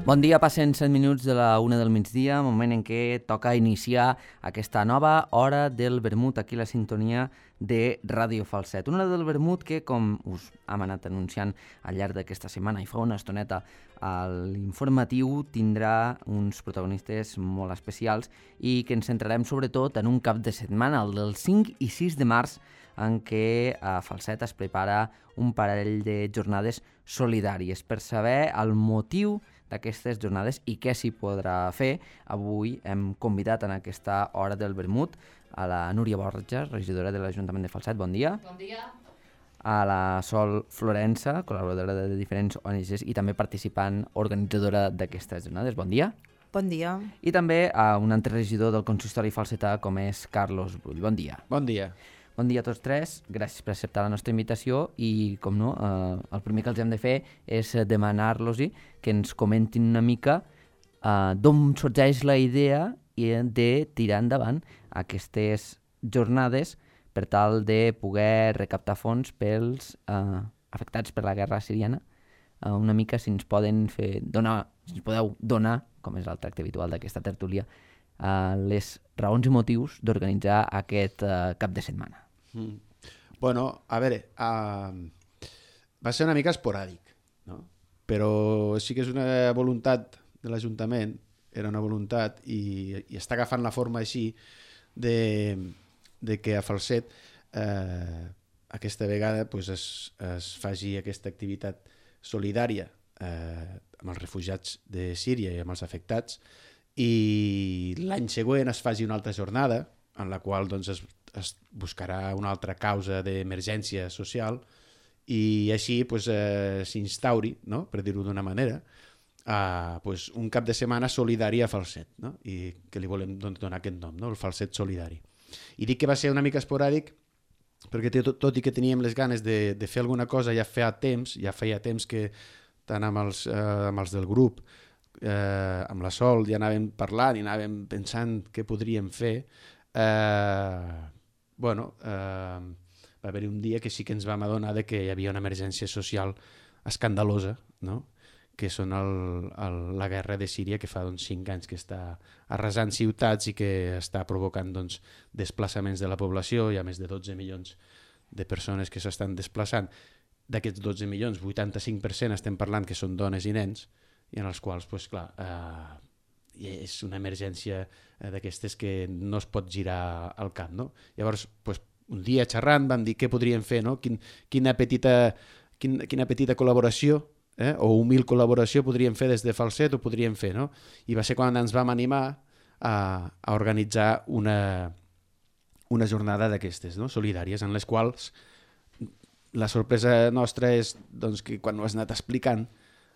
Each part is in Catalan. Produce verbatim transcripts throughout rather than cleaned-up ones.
Bon dia, passen set minuts de la una del migdia, moment en què toca iniciar aquesta nova hora del vermut aquí a la sintonia de Ràdio Falset. Una hora del vermut que, com us hem anat anunciant al llarg d'aquesta setmana i fa una estoneta a l'informatiu, tindrà uns protagonistes molt especials i que ens centrarem sobretot en un cap de setmana, el del cinc i sis de març, en què a Falset es prepara un parell de jornades solidàries. Per saber el motiu d'aquestes jornades i què s'hi podrà fer, avui hem convidat en aquesta hora del vermut a la Núria Borja, regidora de l'Ajuntament de Falset. Bon dia. Bon dia. A la Sol Florença, col·laboradora de diferents O N Ges i també participant organitzadora d'aquestes jornades. Bon dia. Bon dia. I també a un altre regidor del consistori falsetà com és Carlos Brull. Bon dia. Bon dia. Bon dia a tots tres, gràcies per acceptar la nostra invitació i, com no, eh, el primer que els hem de fer és demanar-los-hi que ens comentin una mica eh, d'on sorgeix la idea de tirar endavant aquestes jornades per tal de poder recaptar fons pels eh, afectats per la guerra siriana. Eh, una mica si ens poden fer donar, si ens podeu donar, com és el tracte habitual d'aquesta tertúlia, eh, les raons i motius d'organitzar aquest eh, cap de setmana. Mm. Bueno, a veure, uh, va ser una mica esporàdic, no? Però sí que és una voluntat de l'Ajuntament, era una voluntat i, i està agafant la forma així de, de que a Falset eh, aquesta vegada pues, es, es faci aquesta activitat solidària eh, amb els refugiats de Síria i amb els afectats, i l'any següent es faci una altra jornada en la qual doncs, es es buscarà una altra causa d'emergència social i així pues, eh, s'instauri, no? Per dir-ho d'una manera, eh, pues, un cap de setmana solidari a Falset, no? I que li volem donar aquest nom, no? El Falset Solidari. I dic que va ser una mica esporàdic perquè tot, tot i que teníem les ganes de, de fer alguna cosa ja feia temps, ja feia temps que tant amb els, eh, amb els del grup, eh, amb la Sol, ja anàvem parlant i anàvem pensant què podríem fer. Eh, bueno, eh, va haver-hi un dia que sí que ens vam adonar de que hi havia una emergència social escandalosa, no? Que són el, el, la guerra de Síria, que fa doncs, cinc anys que està arrasant ciutats i que està provocant doncs, desplaçaments de la població. Hi ha més de dotze milions de persones que s'estan desplaçant. D'aquests dotze milions, vuitanta-cinc per cent estem parlant que són dones i nens, i en els quals, pues, clar, eh, és una emergència d'aquestes que no es pot girar al cap, no? Llavors, pues, un dia xerrant vam dir què podríem fer, no? Quin, quina, petita, quin, quina petita col·laboració eh? o humil col·laboració podríem fer des de Falset o podríem fer, no? I va ser quan ens vam animar a, a organitzar una, una jornada d'aquestes, no? Solidàries, en les quals la sorpresa nostra és doncs, que quan ho has anat explicant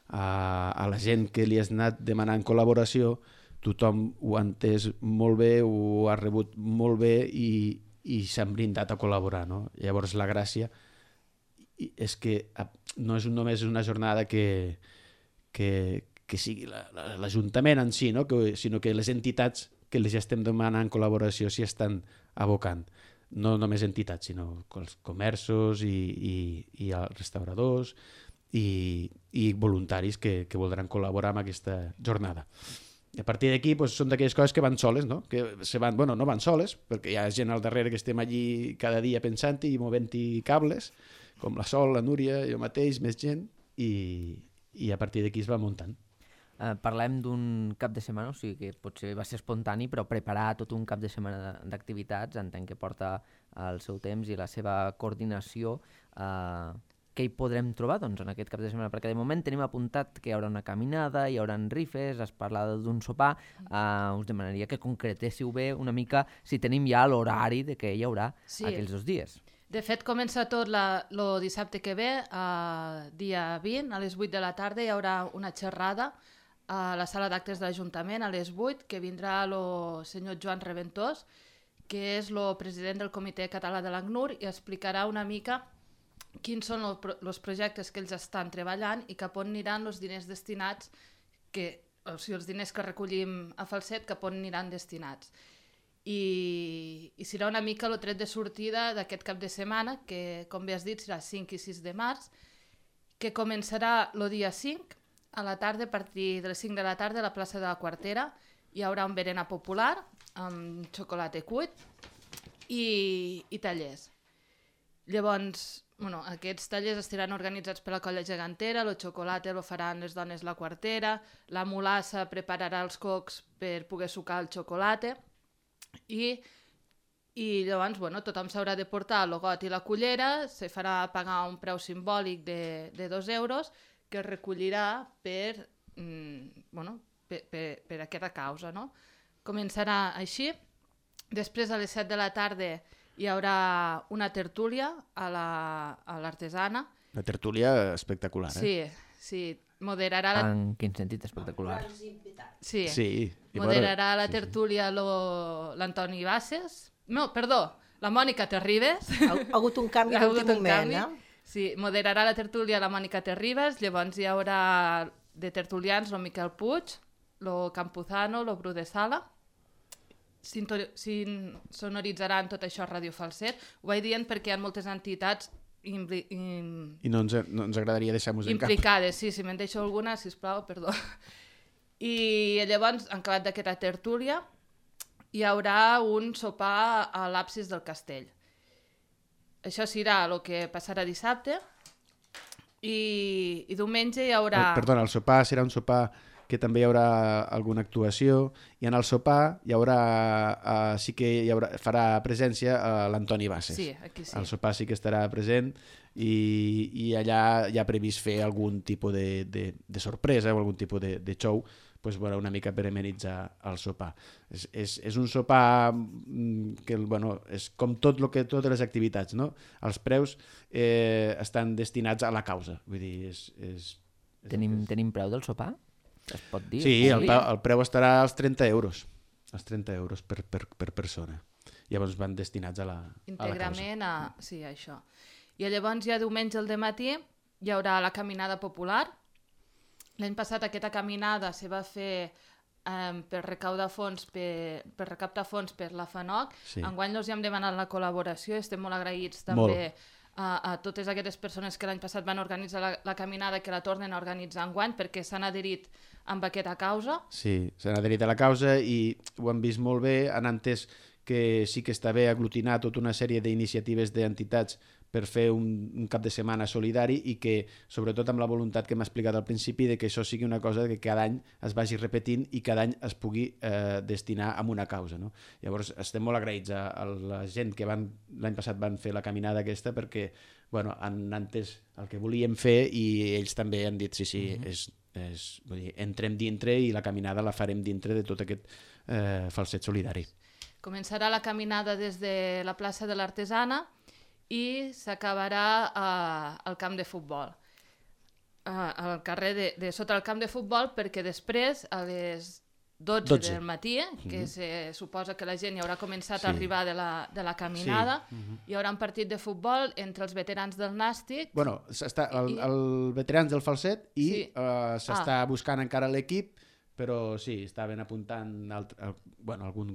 a, a la gent que li has anat demanant col·laboració, tothom ho ha entès molt bé, ho ha rebut molt bé i, i s'han brindat a col·laborar, no? Llavors la gràcia és que no és només una jornada que, que, que sigui l'Ajuntament en si, no? que, sinó que les entitats que les estem demanant col·laboració s'hi estan abocant. No només entitats, sinó els comerços i, i, i els restauradors, I, i voluntaris que, que voldran col·laborar amb aquesta jornada. I a partir d'aquí pues, són d'aquelles coses que van soles, no? Que se van, bueno, no van soles, perquè hi ha gent al darrere que estem allí cada dia pensant-hi i movent-hi cables, com la Sol, la Núria, jo mateix, més gent, i, i a partir d'aquí es va muntant. Eh, parlem d'un cap de setmana, o sigui que potser va ser espontani, però preparar tot un cap de setmana d'activitats, entenc que porta el seu temps i la seva coordinació. Eh, què hi podrem trobar doncs, en aquest cap de setmana? Perquè de moment tenim apuntat que hi haurà una caminada, hi haurà rifes, es parla d'un sopar. Uh, us demanaria que concretéssiu bé una mica si tenim ja l'horari de què hi haurà sí. aquells dos dies. De fet, comença tot el dissabte que ve, uh, dia vint, a les vuit de la tarda hi haurà una xerrada a la sala d'actes de l'Ajuntament a les vuit, que vindrà el senyor Joan Reventós, que és el president del Comitè Català de l'ACNUR, i explicarà una mica quins són els projectes que ells estan treballant i cap on aniran els diners destinats, que, o sigui, els diners que recollim a Falset, cap on aniran destinats. I, i serà una mica el tret de sortida d'aquest cap de setmana, que, com bé has dit, serà cinc i sis de març, que començarà el dia cinc, a la tarda, a partir de les cinc de la tarda, a la plaça de la Quartera. Hi haurà un berenar popular amb xocolata cuit i, i tallers. Llavors, bueno, aquests tallers estaran organitzats per la colla gegantera, el xocolata lo faran les dones la Quartera, la mulassa prepararà els cocs per poder sucar el xocolata i, i llavors bueno, tothom s'haurà de portar el got i la cullera, se farà pagar un preu simbòlic de, de dos euros que es recollirà per, mm, bueno, per, per, per aquesta causa. No? Començarà així, després a les set de la tarda hi haurà una tertúlia a l'artesana. La, una tertúlia espectacular, eh? Sí, sí. Moderarà la... En quin sentit espectacular? Sí, sí. moderarà bueno, la tertúlia sí, sí. l'Antoni Bases. No, perdó, la Mònica Terribas. Ha, ha hagut un canvi en l'últim moment, eh? Sí, moderarà la tertúlia la Mònica Terribas, llavors hi haurà de tertulians el Miquel Puig, el Campuzano, el Bru de Sala. Sonoritzaran tot això a Ràdio Falset. Ho vaig dient perquè hi ha moltes entitats impli... im... i no ens, no ens agradaria deixar-nos en cap. Implicades, sí, si me'n deixo alguna, sisplau, perdó. I llavors, en acabat d'aquesta tertúlia, hi haurà un sopar a l'absis del castell. Això serà el que passarà dissabte i, i diumenge hi haurà... Perdona, el sopar serà un sopar que també hi haurà alguna actuació i en el sopar hi haurà, uh, sí que hi haurà, farà presència uh, l'Antoni Bases. Sí, aquí sí. El sopar sí que estarà present i, i allà hi ha previst fer algun tipus de, de, de sorpresa o algun tipus de, de show, pues, bueno, una mica per amenitzar el sopar. És, és, és un sopar que bueno, és com tot lo que, totes les activitats, no? Els preus eh, estan destinats a la causa. Vull dir, és, és, és tenim, tenim preu del sopar? Es pot dir? Sí, el, el preu estarà als trenta euros. Als trenta euros per, per, per persona. Llavors van destinats a la, íntegrament a la causa. A... Sí, això. I llavors ja diumenge al dematí hi haurà la caminada popular. L'any passat aquesta caminada se va fer eh, per recaudar fons, per, per recaptar fons per la FANOC. Sí. Enguany els hem demanat la col·laboració, estem molt agraïts també a, a totes aquestes persones que l'any passat van organitzar la, la caminada, que la tornen a organitzar enguany perquè s'han adherit amb aquesta causa. Sí, s'han adherit a la causa i ho han vist molt bé, han entès que sí que està bé aglutinar tota una sèrie d'iniciatives d'entitats per fer un, un cap de setmana solidari i que, sobretot amb la voluntat que m'ha explicat al principi, de que això sigui una cosa que cada any es vagi repetint i cada any es pugui eh, destinar a una causa. No? Llavors, estem molt agraïts a, a la gent que van l'any passat van fer la caminada aquesta perquè bueno, han entès el que volíem fer i ells també han dit sí, sí, mm-hmm. és, és, vull dir, entrem dintre i la caminada la farem dintre de tot aquest eh, falset solidari. Començarà la caminada des de la plaça de l'Artesana i s'acabarà uh, al camp de futbol, uh, al carrer de, de sota el camp de futbol, perquè després a les dotze, dotze. Del matí, que mm-hmm. se suposa que la gent ja haurà començat sí. a arribar de la, de la caminada, sí. mm-hmm. hi haurà un partit de futbol entre els veterans del Nàstic. Bueno, està el, el veterans del Falset i sí. uh, s'està ah. buscant encara l'equip, però sí, estaven apuntant alt, al, bueno, algun...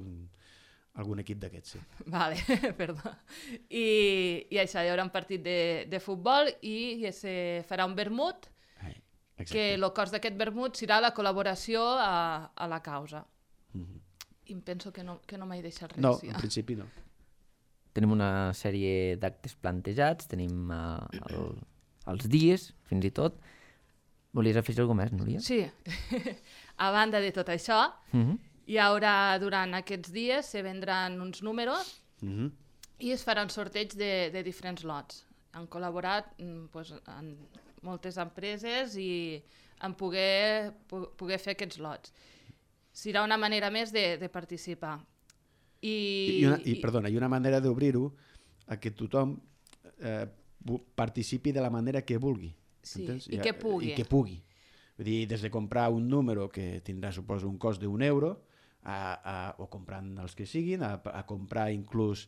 algun equip d'aquests, sí. Vale, perdó. I, I això, hi haurà un partit de, de futbol i se farà un vermut, Ai, que el cost d'aquest vermut serà la col·laboració a, a la causa. Mm-hmm. I em penso que no, que no m'he deixat res. No, ja. En principi no. Tenim una sèrie d'actes plantejats, tenim uh, el, els dies, fins i tot. Volies afegir alguna més, Núria? Sí. A banda de tot això, mm-hmm. hi haurà, durant aquests dies, se vendran uns números mm-hmm. i es faran sorteig de, de diferents lots. Han col·laborat pues, en moltes empreses i en poder, poder fer aquests lots. Serà una manera més de, de participar. I, I, una, i, perdona, i una manera d'obrir-ho a que tothom eh, participi de la manera que vulgui. Sí, entens? i que pugui. I que pugui. Vull dir, des de comprar un número que tindrà, suposo, un cost d'un euro, A, a, o comprant els que siguin, a, a comprar inclús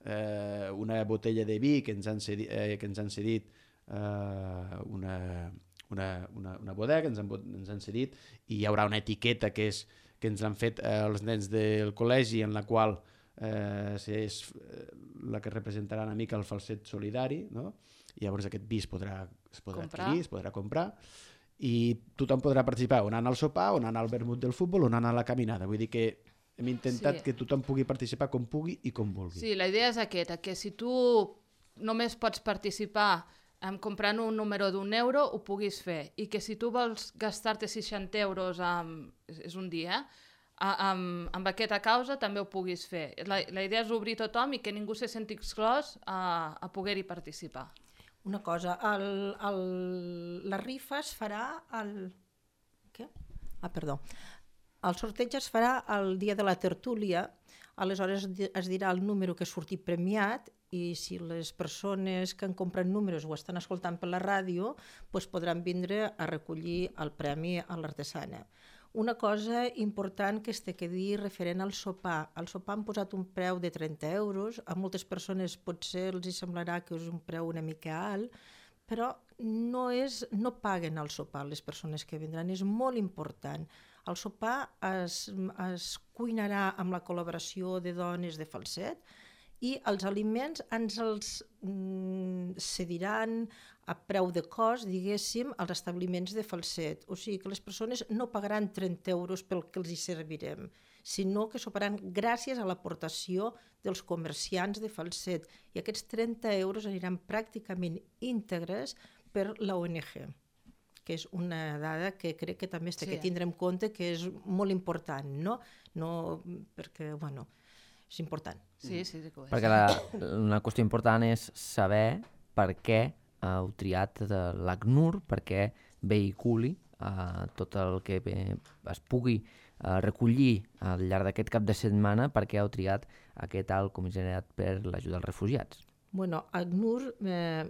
eh, una botella de vi que ens han cedit, eh, que ens han cedit eh, una, una, una, una bodega que ens han, ens han cedit i hi haurà una etiqueta que, és, que ens han fet eh, els nens del col·legi en la qual eh, és la que representarà una mica el falset solidari, no? i llavors aquest vi es podrà, es podrà Comprar. adquirir, es podrà comprar, i tothom podrà participar o anant al sopar, o anant al vermut del futbol, o anant a la caminada. Vull dir que hem intentat Sí. que tothom pugui participar com pugui i com vulgui. Sí, la idea és aquesta, que si tu només pots participar en comprant un número d'un euro, ho puguis fer. I que si tu vols gastar-te seixanta euros, amb, és un dia, eh? amb, amb aquesta causa també ho puguis fer. La, la idea és obrir tothom i que ningú se senti exclòs a, a poder-hi participar. Una cosa, el, el, la rifa es farà el... Què? Ah, perdó. El sorteig es farà el dia de la tertúlia, aleshores es dirà el número que ha sortit premiat i si les persones que han comprat números ho estan escoltant per la ràdio, doncs podran vindre a recollir el premi a l'artesana. Una cosa important que es té que dir referent al sopar. Al sopar han posat un preu de trenta euros, a moltes persones potser els hi semblarà que és un preu una mica alt, però no, és, no paguen al sopar les persones que vindran, és molt important. El sopar es, es cuinarà amb la col·laboració de dones de Falset i els aliments ens els mm, cediran a preu de cost, diguéssim, als establiments de Falset. O sigui que les persones no pagaran trenta euros pel que els hi servirem, sinó que soparan gràcies a l'aportació dels comerciants de Falset. I aquests trenta euros aniran pràcticament íntegres per la O N G, que és una dada que crec que també s'ha Sí. de tindre en compte, que és molt important, no? No perquè, bueno, és important. Sí, sí, sí que ho és. Perquè la, una qüestió important és saber per què heu triat de l'ACNUR, per què vehiculi eh, tot el que bé, es pugui eh, recollir al llarg d'aquest cap de setmana, per què heu triat aquest alt comissariat per l'ajuda als refugiats. Bueno, ACNUR, eh,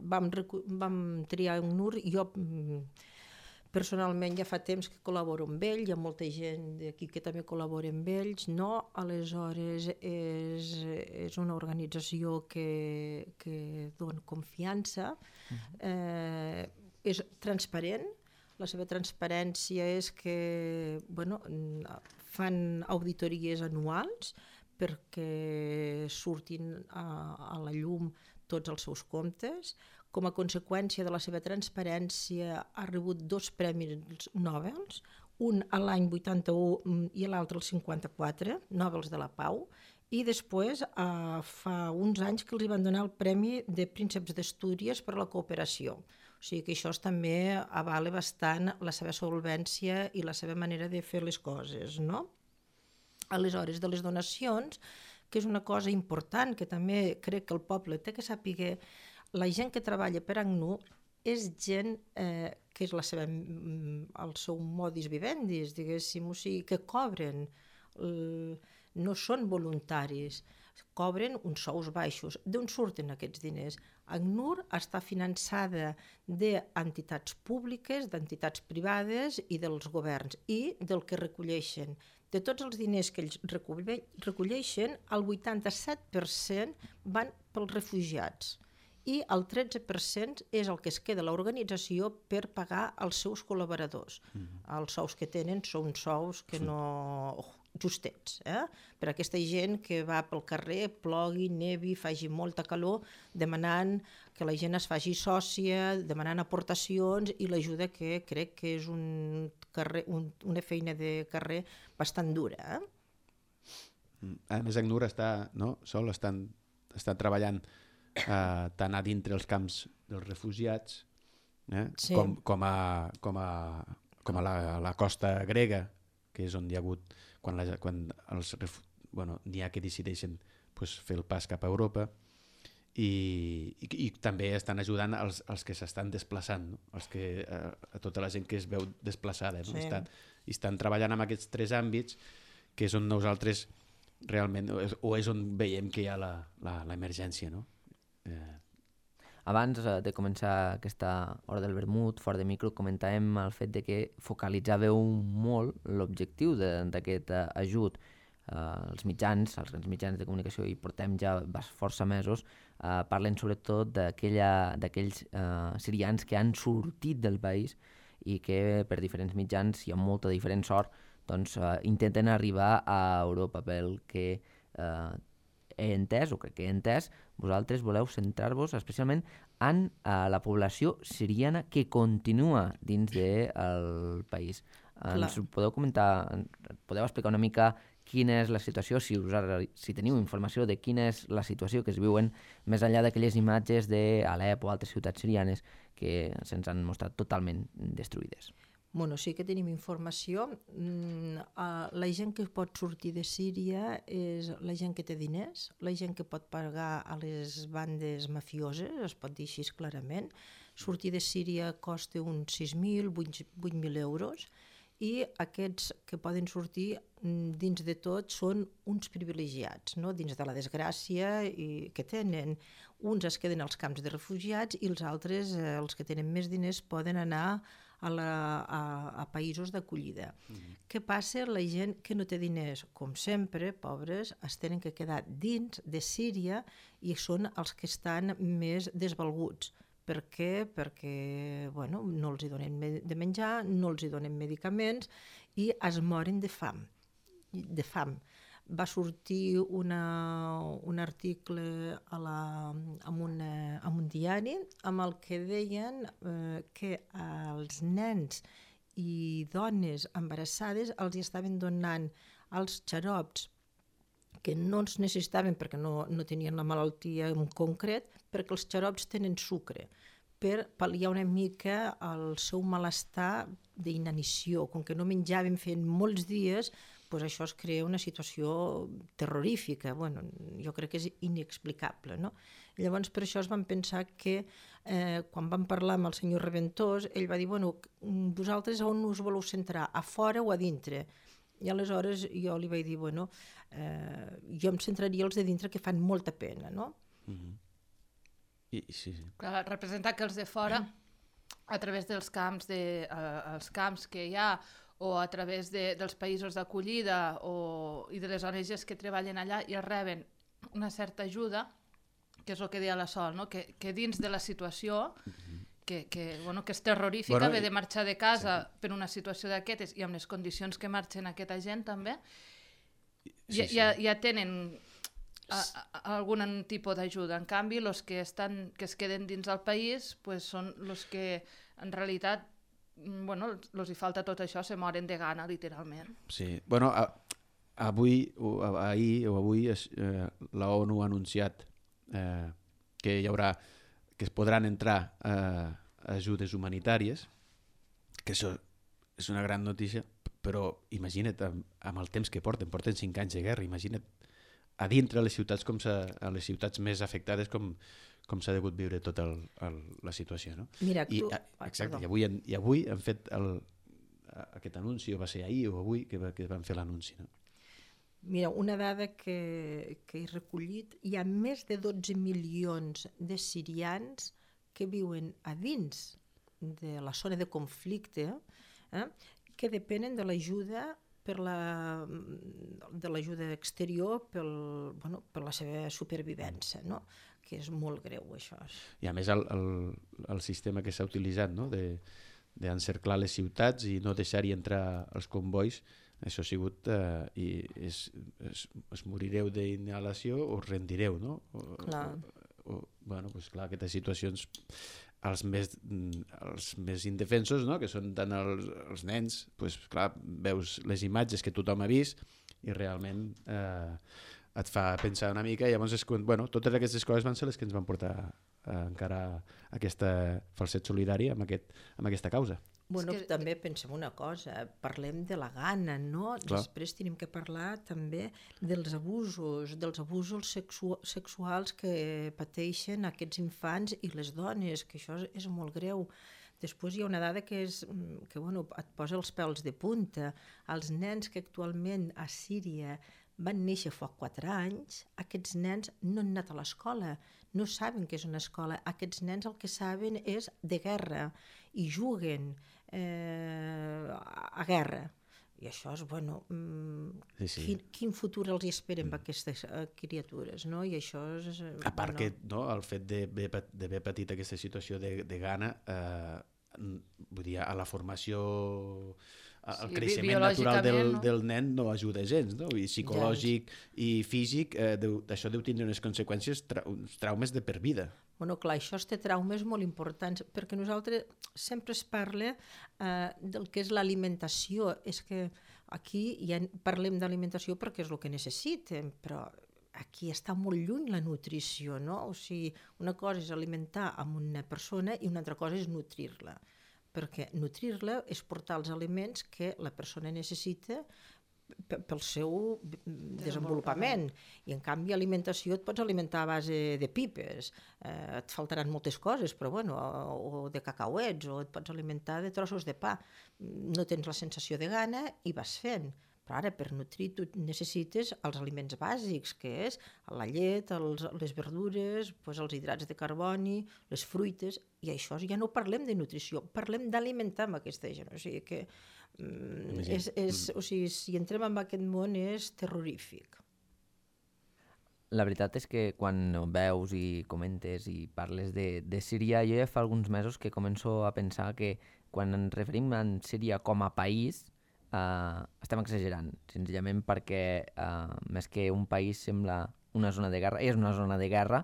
vam, recu- vam triar ACNUR, jo mm, personalment ja fa temps que col·laboro amb ell, hi ha molta gent d'aquí que també col·labora amb ells, no? Aleshores és, és una organització que, que dona confiança, eh, és transparent, la seva transparència és que bueno, fan auditories anuals perquè surtin a, a la llum tots els seus comptes. Com a conseqüència de la seva transparència ha rebut dos premis Nobel, un a l'any vuitanta-u i l'altre al cinquanta-quatre, Nobels de la Pau, i després eh, fa uns anys que els van donar el Premi de Prínceps d'Astúries per a la cooperació. O sigui que això també avala bastant la seva solvència i la seva manera de fer les coses, no? Aleshores, de les donacions, que és una cosa important, que també crec que el poble té que saber, la gent que treballa per ACNUR és gent eh, que és la seva, el seu modus vivendi, diguéssim, o sigui, que cobren, eh, no són voluntaris, cobren uns sous baixos. D'on surten aquests diners? ACNUR està finançada d'entitats públiques, d'entitats privades i dels governs, i del que recolleixen. De tots els diners que ells recolleixen, el vuitanta-set per cent van pels refugiats i el tretze per cent és el que es queda a l'organització per pagar els seus col·laboradors. Mm-hmm. Els sous que tenen són sous que sí. no... justets, eh? Per a aquesta gent que va pel carrer, plogui, nevi, faci molta calor, demanant que la gent es faci sòcia, demanant aportacions i l'ajuda que crec que és un carrer, un, una feina de carrer bastant dura. Eh? A més, ACNUR està, no? Sol estan, estan treballant eh, tant a dintre els camps dels refugiats eh? Sí. com, com, a, com, a, com a la, la costa grega, que és on hi ha hagut, quan, la, quan els, bueno, n'hi ha que decideixen pues, fer el pas cap a Europa, i, i, i també estan ajudant els, els que s'estan desplaçant, no? Els que, a, a tota la gent que es veu desplaçada. No? Sí. Estan, i estan treballant en aquests tres àmbits, que és on nosaltres realment, o és, o és on veiem que hi ha la, la, la emergència, no? Eh, Abans de començar aquesta hora del vermut, fora de micro, comentàvem el fet de que focalitzàveu molt l'objectiu d'aquest ajut. Uh, els mitjans, els grans mitjans de comunicació, i portem ja força mesos, uh, parlen sobretot d'aquells uh, sirians que han sortit del país i que per diferents mitjans i amb molta diferent sort doncs, uh, intenten arribar a Europa, pel que uh, he entès, o crec que he entès, vosaltres voleu centrar-vos especialment en uh, la població siriana que continua dins del país. Ens Clar. podeu comentar, podeu explicar una mica quina és la situació, si, us, si teniu informació de quina és la situació que es viuen més enllà d'aquelles imatges d'Alep o altres ciutats sirianes que se'ns han mostrat totalment destruïdes. Bueno, sí que tenim informació. La gent que pot sortir de Síria és la gent que té diners, la gent que pot pagar a les bandes mafioses, es pot dir així clarament. Sortir de Síria costa uns sis mil, vuit mil euros, i aquests que poden sortir dins de tot són uns privilegiats, no? Dins de la desgràcia i que tenen. Uns es queden als camps de refugiats i els altres, eh, els que tenen més diners, poden anar a, la, a, a països d'acollida. Mm-hmm. Què passa? La gent que no té diners, com sempre, pobres, es tenen que quedar dins de Síria i són els que estan més desvalguts. Per què? Perquè bueno, no els hi donen de menjar, no els hi donen medicaments i es moren de fam. De fam. Va sortir una, un article a la, en, una, en un diari amb el que deien eh, que als nens i dones embarassades els estaven donant els xarops que no els necessitaven perquè no, no tenien la malaltia en concret, perquè els xarops tenen sucre, per pal·liar una mica el seu malestar d'inanició. Com que no menjaven fent molts dies, doncs això es crea una situació terrorífica. Bueno, jo crec que és inexplicable, no? Llavors, per això es van pensar que eh, quan vam parlar amb el senyor Reventós, ell va dir, bueno, vosaltres on us voleu centrar, a fora o a dintre? I aleshores jo li vaig dir, bueno, eh, jo em centraria els de dintre que fan molta pena, no? Mm-hmm. I, sí, sí. Clar, representa que els de fora, a través dels camps, de, eh, els camps que hi ha, o a través de, dels països d'acollida o, i de les O N Ges que treballen allà, i reben una certa ajuda, que és el que deia la Sol, no? que, que dins de la situació, que, que, bueno, que és terrorífica, bueno, haver de marxar de casa sí. per una situació d'aquestes i amb les condicions que marxen aquesta gent també, sí, ja, sí. ja, ja tenen a, a, algun tipus d'ajuda. En canvi, els que, estan, que es queden dins del país pues, són els que en realitat bueno, els hi falta tot això, se moren de gana, literalment. Sí, bueno, a, avui, o, ahir o avui eh, la ONU ha anunciat eh, que hi haurà, que es podran entrar eh, ajudes humanitàries, que això és una gran notícia, però imagina't amb, amb el temps que porten, porten cinc anys de guerra, imagina't a dintre les ciutats, com a les ciutats més afectades, com, com s'ha degut viure tota el, el, la situació. No? Mira, I, tu... exacte, i avui, i avui han fet el, aquest anunci, o va ser ahir o avui, que, que van fer l'anunci. No? Mira, una dada que, que he recollit, hi ha més de dotze milions de sirians que viuen a dins de la zona de conflicte, eh, que depenen de l'ajuda per la, de l'ajuda exterior pel, bueno, per la seva supervivència, no? Que és molt greu, això. I a més el, el, el sistema que s'ha utilitzat, no? de, d'encerclar les ciutats i no deixar-hi entrar els convois, això ha sigut, eh, i es, es, es morireu d'inhalació o us rendireu, no? O, clar. O, o, bueno, doncs clar, aquestes situacions, els més, els més indefensos, no? Que són tant els, els nens, doncs clar, veus les imatges que tothom ha vist i realment eh, et fa pensar una mica, i llavors és quan, bueno, totes aquestes coses van ser les que ens van portar a encarar aquesta falset solidària amb, aquest, amb aquesta causa. Bueno, que... també pensem una cosa, parlem de la gana, no? Clar. Després tenim que parlar també dels abusos, dels abusos sexu sexuals que pateixen aquests infants i les dones, que això és, és molt greu. Després hi ha una dada que, és, que bueno, et posa els pèls de punta. Els nens que actualment a Síria van néixer fa quatre anys, aquests nens no han anat a l'escola, no saben què és una escola. Aquests nens el que saben és de guerra i juguen eh, a guerra. I això és, bueno, mm, sí, sí. Quin, quin futur els hi esperen amb aquestes uh, criatures, no? I això és... A part bueno... que no, el fet d'haver patit aquesta situació de, de gana, eh, vull dir, a la formació el Sí, creixement natural del, biològicament, no? del nen no ajuda gens, no? I psicològic i físic, eh, deu, això deu tindre unes conseqüències, tra uns traumes de per vida. Bueno, clar, això té traumes molt importants, perquè nosaltres sempre es parla eh, del que és l'alimentació. És que aquí ja parlem d'alimentació perquè és el que necessitem, però aquí està molt lluny la nutrició, no? O sigui, una cosa és alimentar amb una persona i una altra cosa és nutrir-la, perquè nutrir-la és portar els aliments que la persona necessita pel seu desenvolupament. I en canvi alimentació et pots alimentar a base de pipes, eh, et faltaran moltes coses, però bueno, o, o de cacauets, o et pots alimentar de trossos de pa. No tens la sensació de gana i vas fent. Però ara per nutrir tu necessites els aliments bàsics, que és la llet, els, les verdures, doncs els hidrats de carboni, les fruites, i això ja no parlem de nutrició, parlem d'alimentar amb aquesta gent. O sigui que mm, és, és, o sigui, si entrem en aquest món és terrorífic. La veritat és que quan veus i comentes i parles de, de Síria, jo ja fa alguns mesos que començo a pensar que quan ens referim a Síria com a país, Uh, estem exagerant, senzillament perquè uh, més que un país sembla una zona de guerra, és una zona de guerra,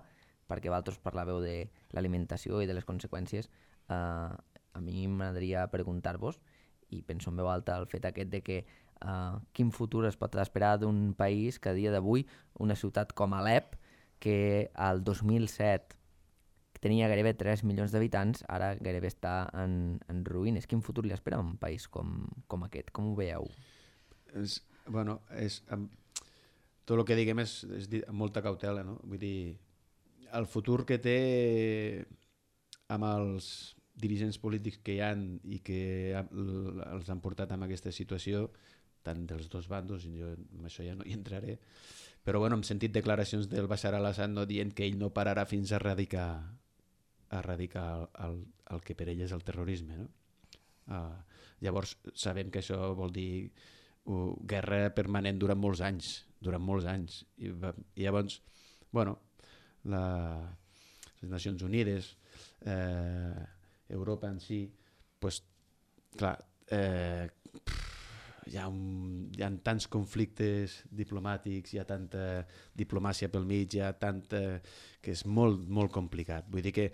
perquè vosaltres parlàveu de l'alimentació i de les conseqüències. Uh, a mi m'agradaria preguntar-vos, i penso en veu alta el fet aquest de que uh, quin futur es pot esperar d'un país que a dia d'avui, una ciutat com Alep, que al dos mil set tenia gairebé tres milions d'habitants, ara gairebé està en, en ruïnes. Quin futur li espera a un país com, com aquest? Com ho veieu? És, bueno, és, um, tot el que diguem és, és amb molta cautela, no? Vull dir, el futur que té amb els dirigents polítics que hi han i que els han portat en aquesta situació, tant dels dos bandos, i jo amb això ja no hi entraré, però bueno, hem sentit declaracions del Bashar al-Assad no dient que ell no pararà fins a erradicar a erradicar el, el, el que per ell és el terrorisme, no? Uh, llavors sabem que això vol dir uh, guerra permanent durant molts anys, durant molts anys. I, i llavors, bueno, la, les Nacions Unides, eh, Europa en si, pues, clar, eh, hi ha, un, hi ha tants conflictes diplomàtics, hi ha tanta diplomàcia pel mig, hi ha tanta... que és molt, molt complicat. Vull dir que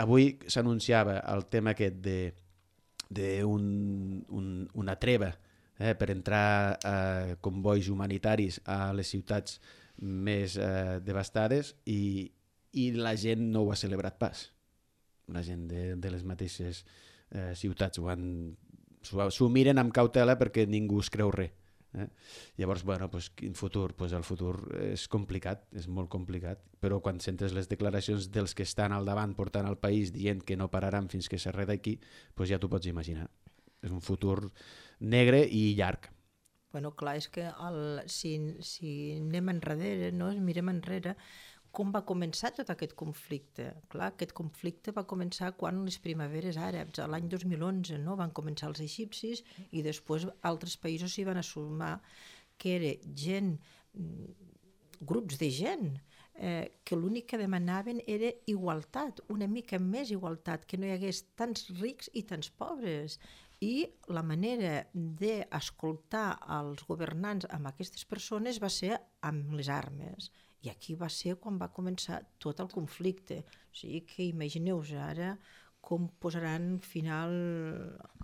avui s'anunciava el tema aquest de, de un, un, una treva eh, per entrar a convois humanitaris a les ciutats més eh, devastades i, i la gent no ho ha celebrat pas. La gent de, de les mateixes eh, ciutats ho han s'ho miren amb cautela perquè ningú es creu res. Eh? Llavors, bueno, pues, quin futur? Pues el futur és complicat, és molt complicat, però quan sentes les declaracions dels que estan al davant portant el país dient que no pararan fins que s'arregli, pues ja t'ho pots imaginar. És un futur negre i llarg. Bueno, clar, és que el, si, si anem enrere, no? Mirem enrere, com va començar tot aquest conflicte? Clar, aquest conflicte va començar quan les primaveres àrabs, l'any dos mil onze, no? Van començar els egipcis i després altres països s'hi van assumar, que era gent, grups de gent, eh, que l'únic que demanaven era igualtat, una mica més igualtat, que no hi hagués tants rics i tants pobres. I la manera d'escoltar els governants amb aquestes persones va ser amb les armes. I aquí va ser quan va començar tot el conflicte. O sigui que imagineu-vos ara com posaran final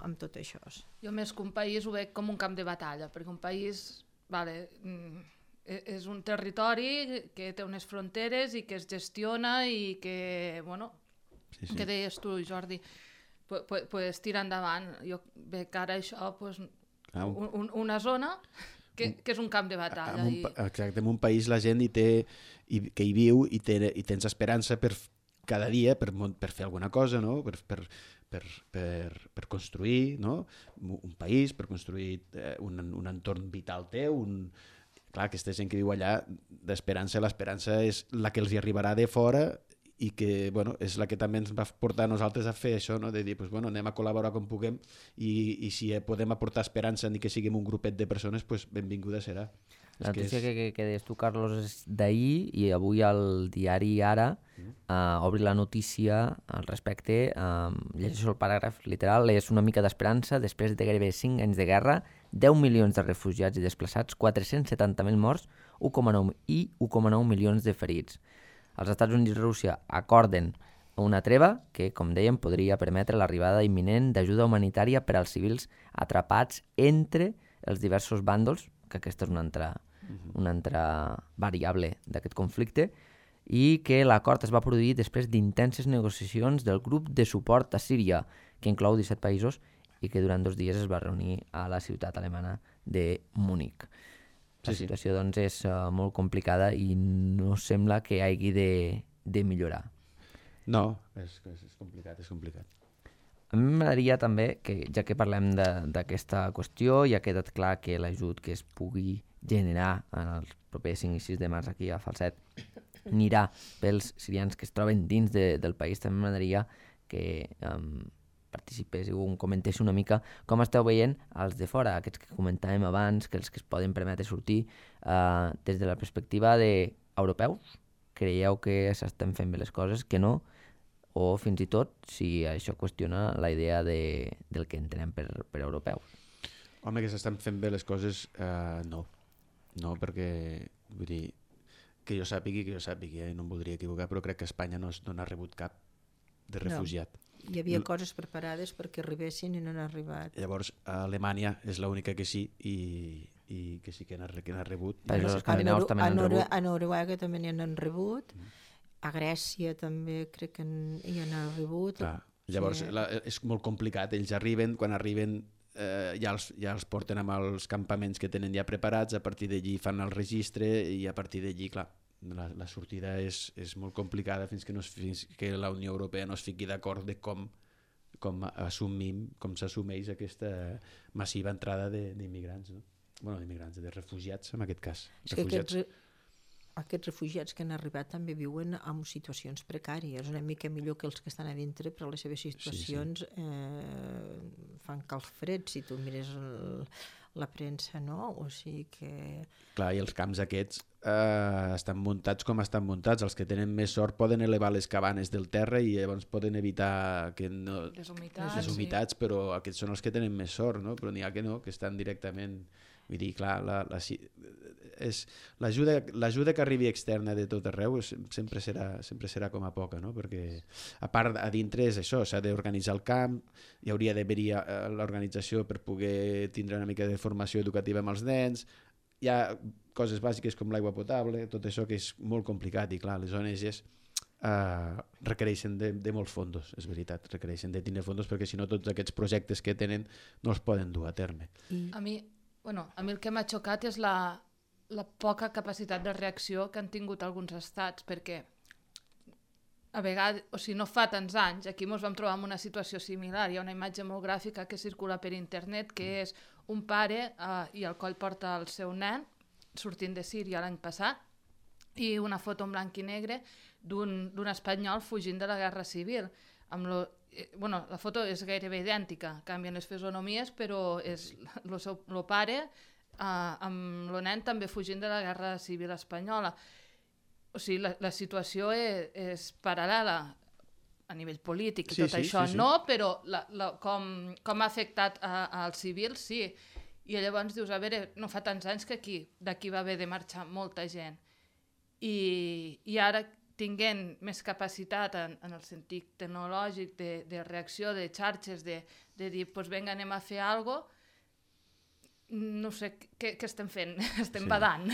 amb tot això. Jo més que un país ho veig com un camp de batalla, perquè un país vale, és un territori que té unes fronteres i que es gestiona i que, bueno, sí, sí. que deies tu, Jordi, pues, pues, pues tira endavant. Jo veig que ara això, pues, ah, un, un, una zona... Que, que és un camp de batalla. En un, I... Exacte, en un país la gent hi té, i, que hi viu i, té, i tens esperança per cada dia per, per fer alguna cosa, no? per, per, per, per, per construir, no? Un país, per construir eh, un, un entorn vital teu. Un... Clar, aquesta gent que viu allà, d'esperança, l'esperança és la que els hi arribarà de fora i que, bueno, és la que també ens va portar a nosaltres a fer això, no? De dir, pues, bueno, anem a col·laborar com puguem i, i si podem aportar esperança ni que siguem un grupet de persones, pues, benvinguda serà. La notícia és... que, que, que deies tu, Carlos, és d'ahir i avui el diari Ara mm. uh, obri la notícia al respecte. Uh, llegeixo el paràgraf literal. És una mica d'esperança. Després de gairebé cinc anys de guerra, deu milions de refugiats i desplaçats, quatre-cents setanta mil morts u coma nou i u coma nou milions de ferits. Els Estats Units i Rússia acorden una treva que, com dèiem, podria permetre l'arribada imminent d'ajuda humanitària per als civils atrapats entre els diversos bàndols, que aquesta és una altra, uh-huh. una altra variable d'aquest conflicte, i que l'acord es va produir després d'intenses negociacions del grup de suport a Síria, que inclou disset països i que durant dos dies es va reunir a la ciutat alemana de Múnich. La sí, situació sí. doncs, és uh, molt complicada i no sembla que hagi de, de millorar. No, és, és complicat, és complicat. A mi m'agradaria també, que ja que parlem d'aquesta qüestió i ha quedat clar que l'ajut que es pugui generar en els propers cinc i sis de març aquí a Falset anirà pels sirians que es troben dins de, del país, també m'agradaria que um, participéssiu o comentéssiu una mica com esteu veient els de fora, aquests que comentàvem abans, que els que es poden permetre sortir uh, des de la perspectiva d'europeus. Creieu que s'estan fent bé les coses, que no? O fins i tot si això qüestiona la idea de, del que entenem per, per europeus. Home, que s'estan fent bé les coses, uh, no. No, perquè, vull dir, que jo sàpigui, que jo sàpigui, eh? No em voldria equivocar, però crec que Espanya no, no n'ha rebut cap de refugiat. No, hi havia coses preparades perquè arribessin i no han arribat. Llavors, a Alemanya és l'única que sí i, i que sí que n'ha rebut. Països escandinaus també n'han rebut. A Noruega també n'hi han rebut. Mm. A Grècia també crec que hi han rebut. Clar. Llavors sí. la, és molt complicat, ells arriben, quan arriben eh, ja, els, ja els porten amb els campaments que tenen ja preparats, a partir d'allí fan el registre i a partir d'allí, clar, la, la sortida és, és molt complicada fins que, no es, fins que la Unió Europea no es fiqui d'acord de com, com assumim, com s'assumeix aquesta massiva entrada d'immigrants, no? Bueno, d'immigrants, de refugiats en aquest cas. És refugiats. Que aquests, aquests refugiats que han arribat també viuen en situacions precàries, una mica millor que els que estan a dintre, però les seves situacions sí, sí. Eh, fan calfreds si tu mires el, la premsa, no? O sigui que... Clar, i els camps aquests eh, estan muntats com estan muntats. Els que tenen més sort poden elevar les cabanes del terra i llavors poden evitar que no... les humitats, les humitats sí. Però aquests són els que tenen més sort, no? Però n'hi ha que no, que estan directament... Vull dir, clar, la, la, és, l'ajuda, l'ajuda que arribi externa de tot arreu és, sempre, serà, sempre serà com a poca, no? Perquè a part a dintre és això, s'ha d'organitzar el camp, hi hauria d'haver-hi l'organització per poder tindre una mica de formació educativa amb els nens, hi ha coses bàsiques com l'aigua potable, tot això que és molt complicat i clar, les O N Ges Uh, requereixen de, de molts fondos, és veritat, requereixen de tindre fondos perquè si no tots aquests projectes que tenen no els poden dur a terme. A mi, bueno, a mi el que m'ha xocat és la, la poca capacitat de reacció que han tingut alguns estats, perquè a vegades, o sigui, no fa tants anys, aquí ens vam trobar en una situació similar, hi ha una imatge molt gràfica que circula per internet que és un pare uh, i al coll porta el seu nen sortint de Síria l'any passat i una foto en blanc i negre d'un, d'un espanyol fugint de la guerra civil. Amb lo, eh, bueno, la foto és gairebé idèntica, canvien les fisonomies, però és el seu lo pare eh, amb el nen també fugint de la guerra civil espanyola. O sigui, la, la situació és, és paral·lela a nivell polític i sí, tot sí, això, sí, sí. no, però la, la, com, com ha afectat als civils, sí. I llavors dius, a veure, no fa tants anys que aquí, d'aquí va haver de marxar molta gent. I, i ara tinguent més capacitat en, en el sentit tecnològic de, de reacció, de xarxes, de, de dir, doncs vinga, anem a fer alguna cosa, no sé què, què estem fent, estem sí. badant.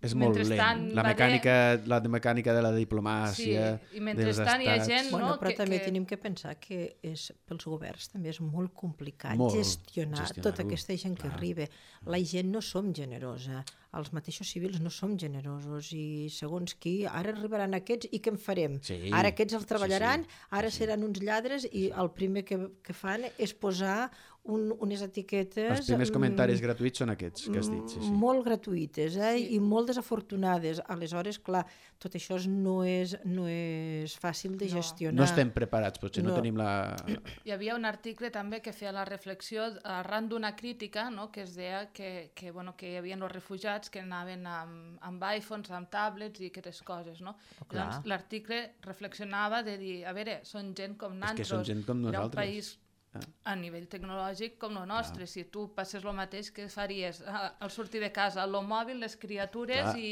És molt lent. La mecànica, la mecànica de la diplomàcia, sí. I mentrestant hi ha gent... Bueno, no, però que, també que... tenim que pensar que és, pels governs també és molt complicat molt gestionar tota aquesta gent que arriba. La gent no som generosa, els mateixos civils no som generosos i segons qui, ara arribaran aquests i què en farem? Sí. Ara aquests els treballaran, sí, sí. ara sí. seran uns lladres i el primer que, que fan és posar un, unes etiquetes... Els primers comentaris gratuïts són aquests que has dit, sí, sí. Molt gratuïtes, eh? Sí. I molt desafortunades. Aleshores, clar, tot això no és, no és fàcil de No. gestionar. No estem preparats, potser no, No. tenim la... Hi havia un article també que feia la reflexió arran d'una crítica, no?, que es deia que, que, bueno, que hi havia els refugiats que anaven amb, amb iPhones, amb tablets i aquestes coses, no? Oh, clar. Llavors l'article reflexionava de dir, a veure, són gent com És nosaltres, que són gent com era un nosaltres. país a nivell tecnològic com el nostre. Clar. Si tu passes el mateix, què faries? Al sortir de casa, el mòbil, les criatures i,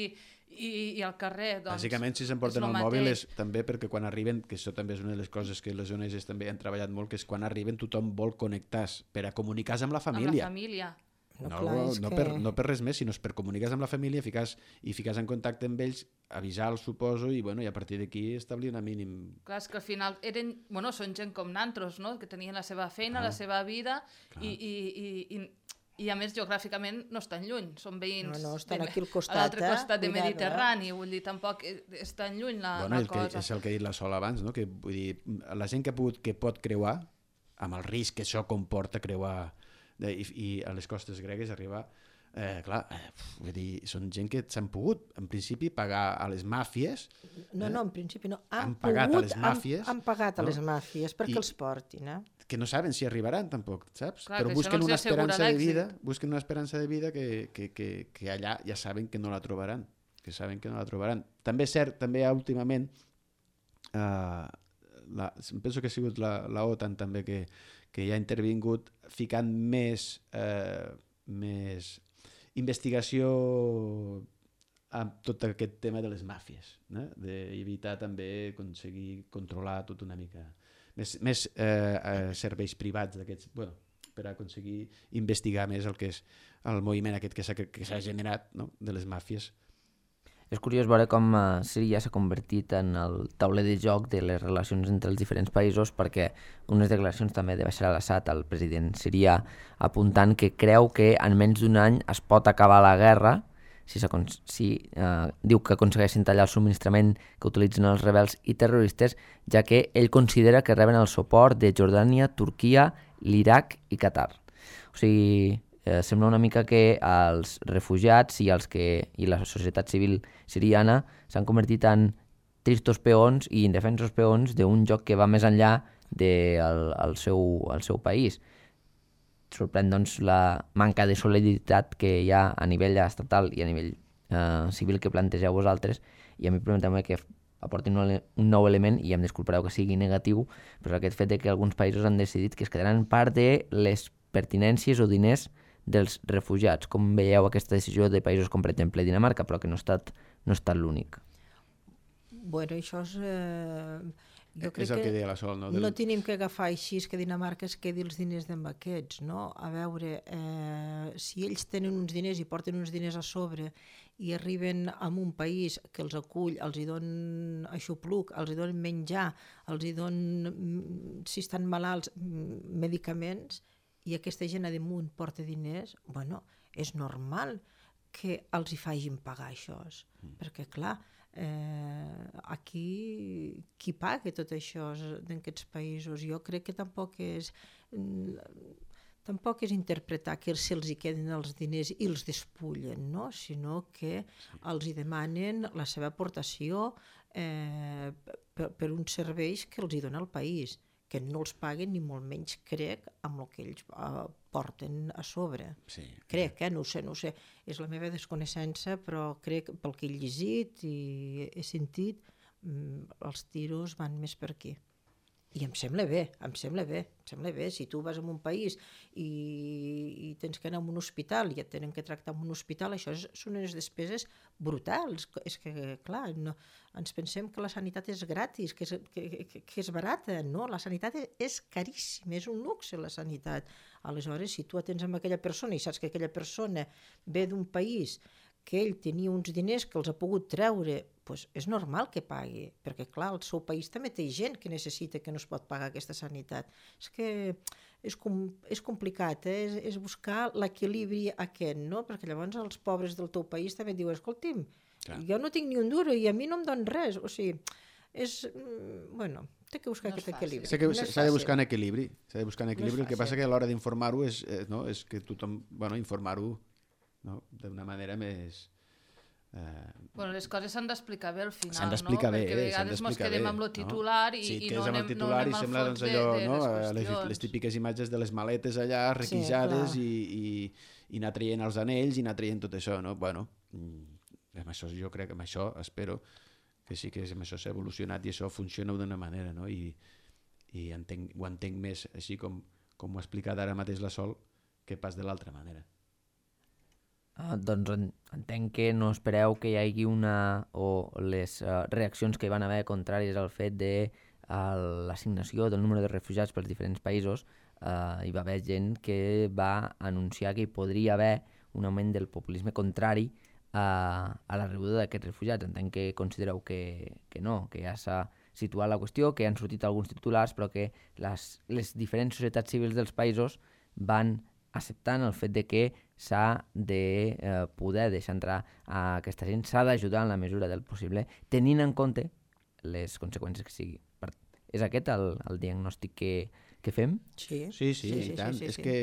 i, i al carrer. Doncs, Bàsicament, si s'emporten el mòbil és també perquè quan arriben, que això també és una de les coses que les O N Ges també han treballat molt, que és quan arriben tothom vol connectar-se per a comunicar-se amb la família. Amb la família. No, No, clar, és no, que... per, no per res més, sinó per comunicar-se amb la família ficar, i ficar-se en contacte amb ells, avisar-los, suposo, i, bueno, i a partir d'aquí establir una mínim... Clar, és que al final eren, bueno, són gent com nantros, no?, que tenien la seva feina, Clar. la seva vida, Clar. i, i, i, i, i a més geogràficament no estan lluny, són veïns No, no, estan de, aquí al costat, a l'altre eh? costat de Cuidado, Mediterrani, vull dir, tampoc és tan lluny la, Bueno, la el que, cosa. és el que ha dit la Sol abans, no? Que, vull dir, la gent que, ha pogut, que pot creuar, amb el risc que això comporta creuar de, i, i a les costes gregues arribar, eh, clar, eh, vull dir, són gent que s'han pogut, en principi, pagar a les màfies. No, eh? no, en principi no. Han, Han pagat a pogut, les màfies, Han, han pagat no? a les màfies perquè I- els portin, eh? Que no saben si arribaran tampoc, saps? Clar, Però que això busquen no els una assegura esperança de l'èxit. vida, busquen una esperança de vida que, que, que, que allà ja saben que no la trobaran, que saben que no la trobaran. També és cert, també últimament, eh, la, penso que ha sigut la, la OTAN també que, que ja ha intervingut ficant més, eh, més investigació amb tot aquest tema de les màfies, eh? D'evitar també aconseguir controlar tot una mica més, més eh, eh, serveis privats d'aquests, bueno, per aconseguir investigar més el que és el moviment aquest que s'ha que s'ha generat, no?, de les màfies. És curiós veure com uh, Síria s'ha convertit en el tauler de joc de les relacions entre els diferents països, perquè unes declaracions també de Bashar al-Assad, el president sirià, apuntant que creu que en menys d'un any es pot acabar la guerra si, si uh, diu que aconsegueixen tallar el subministrament que utilitzen els rebels i terroristes, ja que ell considera que reben el suport de Jordània, Turquia, l'Iraq i Qatar. O sigui, eh, sembla una mica que els refugiats i, els que, i la societat civil siriana s'han convertit en tristos peons i indefensos peons d'un joc que va més enllà del el seu, el seu país. Sorprèn, doncs, la manca de solidaritat que hi ha a nivell estatal i a nivell eh, civil que plantegeu vosaltres, i a mi permeteu-me que aportin un, un nou element, i em disculpareu que sigui negatiu, però aquest fet de que alguns països han decidit que es quedaran part de les pertinències o diners dels refugiats. Com veieu aquesta decisió de països com, per exemple, Dinamarca, però que no ha estat, no ha estat l'únic? Bueno, això és... Eh... Jo crec és el que, que deia la Sol, no? no tenim que agafar així que Dinamarca es quedi els diners d'en aquests, no? A veure, eh, si ells tenen uns diners i porten uns diners a sobre i arriben a un país que els acull, els hi donen aixopluc, els hi donen menjar, els hi donen, si estan malalts, medicaments, i aquesta gent a damunt porta diners, bueno, és normal que els hi facin pagar això, mm. perquè clar, Eh, aquí qui paga tot això d'aquests països? Jo crec que tampoc és tampoc és interpretar que se'ls hi queden els diners i els despullen, no? Sinó que sí. els hi demanen la seva aportació eh, per, per uns serveis que els hi dona el país, que no els paguen ni molt menys, crec, amb el que ells uh, porten a sobre. Sí. Crec, eh? No ho sé, no ho sé. És la meva desconeixença, però crec, pel que he llegit i he sentit, mm, els tiros van més per aquí. I em sembla bé, em sembla bé, em sembla bé. Si tu vas a un país i, i tens que anar a un hospital i et tenen que tractar en un hospital, això és, són unes despeses brutals. És que, clar, no, ens pensem que la sanitat és gratis, que és, que, que, que és barata. No, la sanitat és, és caríssima, és un luxe la sanitat. Aleshores, si tu atens amb aquella persona i saps que aquella persona ve d'un país que ell tenia uns diners que els ha pogut treure, doncs és normal que pagui, perquè clar, el seu país també té gent que necessita, que no es pot pagar aquesta sanitat. És que és, com, és complicat, eh? és, és buscar l'equilibri aquest, no? Perquè llavors els pobres del teu país també diuen, escolti'm, clar, jo no tinc ni un duro i a mi no em don res, o sigui, és, bueno, S'ha que buscar No és aquest fàcil. equilibri. S'ha que- No és s'ha de fàcil. buscar un equilibri. S'ha de buscar un equilibri. No és El que passa fàcil. que a l'hora d'informar-ho és, eh, no, és que tothom, bueno, informar-ho, no, d'una manera més... Eh, Bueno, les coses s'han d'explicar bé al final, s'han d'explicar no? bé, Perquè a eh, s'han vegades mos d'explicar quedem bé, amb lo no? titular i, sí, i que no és amb anem, el no titular anem i al sembla fons doncs, de, allò, de no? les les, qüestions. les típiques imatges de les maletes allà requisades clar. i, i, i anar traient els anells i anar traient tot això, no? Bueno, mm, amb això jo crec que amb això espero que sí que amb això s'ha evolucionat i això funciona d'una manera, no? I, i entenc, ho entenc més així com, com ho ha explicat ara mateix la Sol que pas de l'altra manera. Uh, doncs en, entenc que no espereu que hi hagi una o les uh, reaccions que hi van haver contràries al fet de uh, l'assignació del número de refugiats pels diferents països. Uh, hi va haver gent que va anunciar que hi podria haver un augment del populisme contrari a, a la rebuda d'aquests refugiats. Entenc que considereu que, que no, que ja s'ha situat la qüestió, que han sortit alguns titulars, però que les, les diferents societats civils dels països van acceptant el fet de que s'ha de eh, poder deixar entrar a aquesta gent, s'ha d'ajudar en la mesura del possible, tenint en compte les conseqüències que sigui. Per, és aquest el, el diagnòstic que, que fem? Sí, Sí, sí, sí, i tant. sí, és sí. que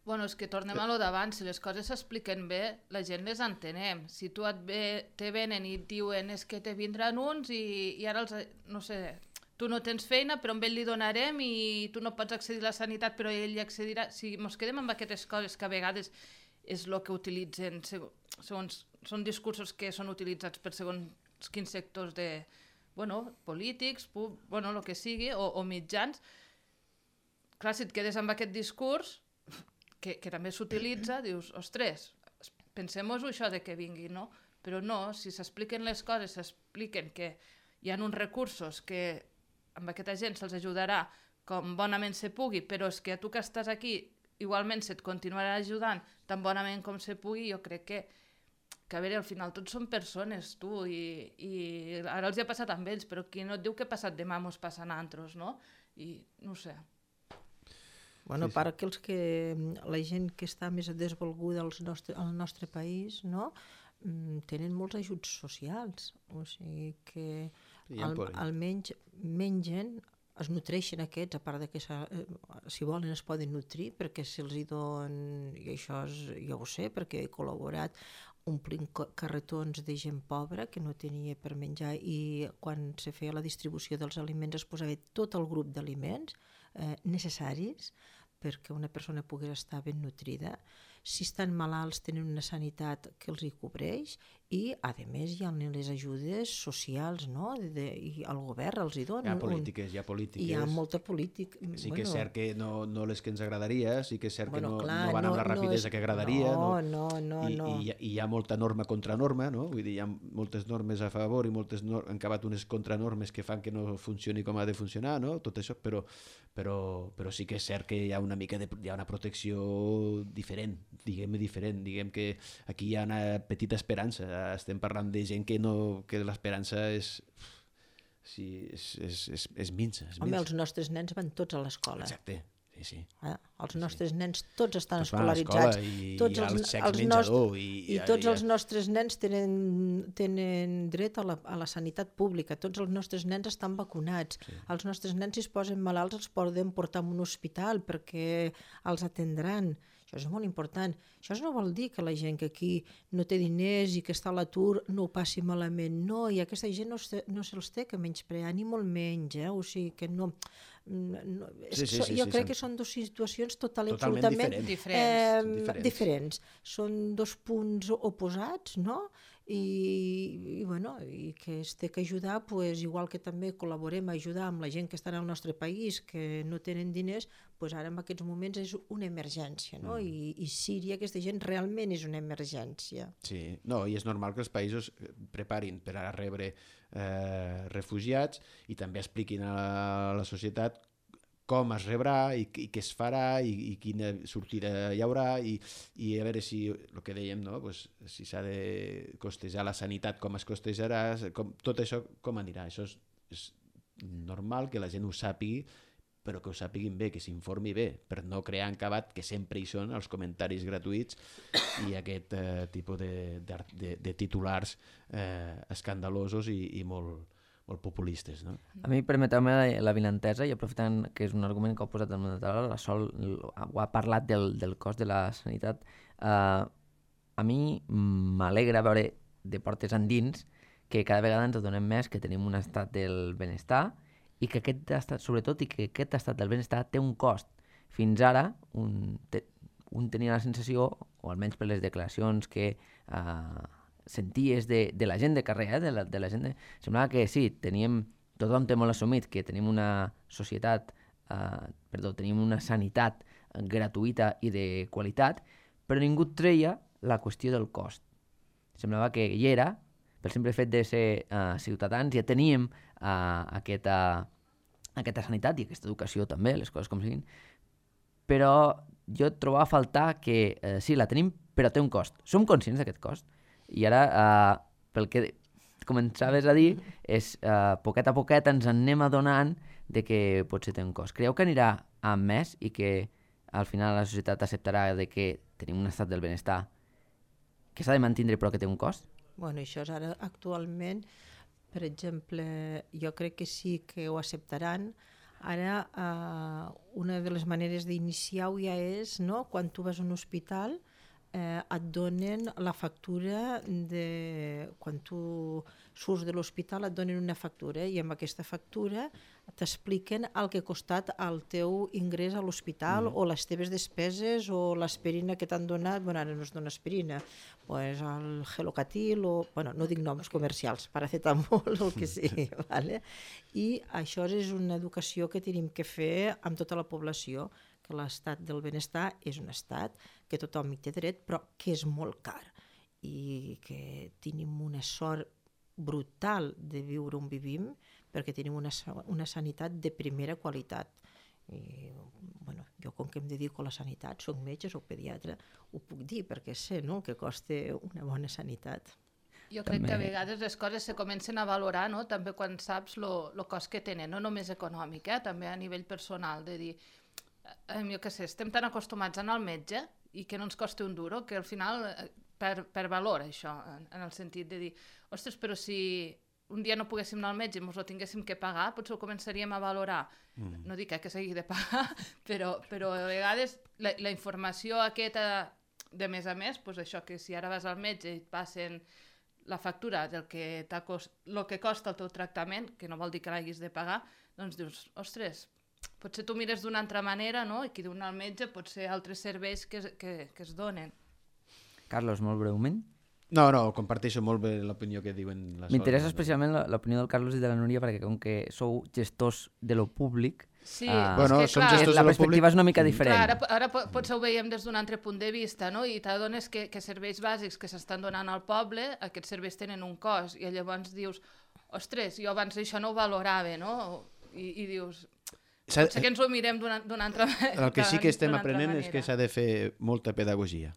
Bueno, és que tornem a lo d'abans, si les coses s'expliquen bé, la gent les entenem. Si tu et ve, te venen i et diuen és que te vindran uns i, i ara els, no sé, tu no tens feina però amb ell li donarem i tu no pots accedir a la sanitat però ell hi accedirà. Si ens quedem amb aquestes coses que a vegades és el que utilitzen, segons, són discursos que són utilitzats per segons quins sectors de, bueno, polítics, pub, bueno, el que sigui, o, o mitjans. Clar, si et quedes amb aquest discurs, que, que també s'utilitza, dius, ostres, pensem-nos això de que vingui, no? Però no, si s'expliquen les coses, s'expliquen que hi ha uns recursos que amb aquesta gent se'ls ajudarà com bonament se pugui, però és que a tu que estàs aquí igualment se't continuarà ajudant tan bonament com se pugui, jo crec que, que a veure, al final tots són persones, tu, i, i ara els hi ha passat amb ells, però qui no et diu que ha passat demà mos passa a altres, no? I no ho sé. Bueno, Sí, sí, sí. Per aquells que la gent que està més desvolguda al nostre, al nostre país, no? Tenen molts ajuts socials, o sigui que Sí, ja en al, poden. almenys mengen, es nutreixen aquests, a part de que eh, si volen es poden nutrir perquè se'ls hi don, i això és, jo ho sé perquè he col·laborat omplint carretons de gent pobra que no tenia per menjar i quan se feia la distribució dels aliments es posava tot el grup d'aliments eh, necessaris perquè una persona pogués estar ben nutrida. Si estan malalts tenen una sanitat que els hi cobreix i a més hi ha les ajudes socials, no? De, de, i el govern els hi dona. Hi ha polítiques, hi ha polítiques. Hi ha molta política. Sí que és cert que no, no les que ens agradaria, sí que és cert Bueno, que no, clar, no van amb no- la no rapidesa és- que agradaria. no, no, no, I, no. I, I hi ha molta norma contra norma, no? Vull dir, hi ha moltes normes a favor i moltes no, han acabat unes contranormes que fan que no funcioni com ha de funcionar, no? Tot això, però, però, però sí que és cert que hi ha una mica de, hi ha una protecció diferent, diguem diferent, diguem que aquí hi ha una petita esperança, estem parlant de gent que no, que l'esperança és, sí, és, és, és, és minsa. És Home, minsa. els nostres nens van tots a l'escola. Exacte, sí, sí. Eh? Els nostres nens tots estan Tots van a escolaritzats. l'escola i tots hi ha els, els xecs els menjador nostres, i- i i- tots i- els nostres nens tenen, tenen dret a la, a la sanitat pública. Tots els nostres nens estan vacunats. Sí. Els nostres nens, si es posen malalts, els poden portar a un hospital perquè els atendran. Això és molt important. Això no vol dir que la gent que aquí no té diners i que està a l'atur no ho passi malament. No, i aquesta gent no, se, no se'ls té que menysprear, ni molt menys. Eh? O sigui que no... no és, Sí, sí, sí, jo sí, crec sí. que són dues situacions total, Totalment absolutament diferents. Diferents. Eh, Són diferents. diferents. Són dos punts oposats, no? I, i, bueno, i que es té que ajudar, pues, igual que també col·laborem a ajudar amb la gent que està al nostre país, que no tenen diners, pues ara en aquests moments és una emergència, no? Mm. I, I Síria, aquesta gent realment és una emergència. Sí, no, i és normal que els països preparin per a rebre eh, refugiats i també expliquin a la, a la societat com es rebrà i, i què es farà i, i quina sortida hi haurà i, i a veure si, el que dèiem, no? Pues, si s'ha de costejar la sanitat, com es costejarà, com, tot això com anirà. Això és, és normal que la gent ho sàpigui, però que ho sàpiguin bé, que s'informi bé, per no crear encabat, que sempre hi són els comentaris gratuïts i aquest eh, tipus de, de, de, de titulars eh, escandalosos i, i molt, molt populistes. No? A mi, permeteu-me la, la vinentesa, i aprofitant que és un argument que heu posat damunt de taula, la Sol ho ha parlat del, del cost de la sanitat. Uh, a mi m'alegra veure de portes endins que cada vegada ens adonem més que tenim un estat del benestar i que aquest estat, sobretot, i que aquest estat del benestar té un cost. Fins ara, un, te, un tenia la sensació, o almenys per les declaracions que uh, senties de, de la gent de carrer, eh, de, la, de la gent de... semblava que sí, teníem, tothom té molt assumit que tenim una societat, uh, perdó, tenim una sanitat gratuïta i de qualitat, però ningú treia la qüestió del cost. Semblava que hi era, pel simple fet de ser uh, ciutadans, ja teníem uh, aquesta, aquesta sanitat i aquesta educació també, les coses com siguin, però jo trobava a faltar que uh, sí, la tenim, però té un cost. Som conscients d'aquest cost? I ara, uh, pel que començaves a dir, és uh, poquet a poquet ens en anem adonant de que potser té un cost. Creieu que anirà a més i que al final la societat acceptarà de que tenim un estat del benestar que s'ha de mantenir però que té un cost? Bueno, això és ara actualment, per exemple, jo crec que sí que ho acceptaran. Ara, eh, una de les maneres d'iniciar-ho ja és, no?, quan tu vas a un hospital, eh, et donen la factura de... Quan tu surts de l'hospital et donen una factura i amb aquesta factura t'expliquen el que ha costat el teu ingrés a l'hospital, mm. o les teves despeses o l'aspirina que t'han donat. Bueno, ara no es dona aspirina, pues el Gelocatil o... Bueno, no dic noms comercials, paracetamol o el que sigui, vale? I això és una educació que tenim que fer amb tota la població, que l'estat del benestar és un estat que tothom hi té dret, però que és molt car i que tenim una sort brutal de viure on vivim perquè tenim una, una sanitat de primera qualitat. I, bueno, jo com que em dedico a la sanitat, soc metge, soc pediatre, ho puc dir perquè sé, no?, que costa una bona sanitat. Jo crec També... que a vegades les coses se comencen a valorar, no?, també quan saps el cost que tenen, no només econòmic, eh? També a nivell personal, de dir, eh, jo què sé, estem tan acostumats a anar al metge i que no ens costi un duro, que al final eh, per, per valor això, en, en el sentit de dir, ostres, però si un dia no poguéssim anar al metge i ens ho tinguéssim que pagar, potser ho començaríem a valorar. Mm. No dic eh, que s'hagi de pagar, però, però a vegades la, la informació aquesta, de més a més, doncs això, que si ara vas al metge i et passen la factura del que, cost, el que costa el teu tractament, que no vol dir que l'hagis de pagar, doncs dius, ostres, potser tu mires d'una altra manera, no?, i qui diu anar al metge pot ser altres serveis que, que, que es donen. Carlos, molt breument. No, no, comparteixo molt bé l'opinió que diuen la Sol. M'interessa especialment l'opinió del Carlos i de la Núria perquè com que sou gestors de lo públic, sí, uh, bueno, és que, som clar, gestors la de lo perspectiva públic. és una mica diferent. Clar, ara, ara potser ho veiem des d'un altre punt de vista, no? I t'adones que, que serveis bàsics que s'estan donant al poble, aquests serveis tenen un cost, i llavors dius, ostres, jo abans això no ho valorava, no? I, i dius, potser que ens ho mirem d'una altra manera. El que sí que estem aprenent és que s'ha de fer molta pedagogia.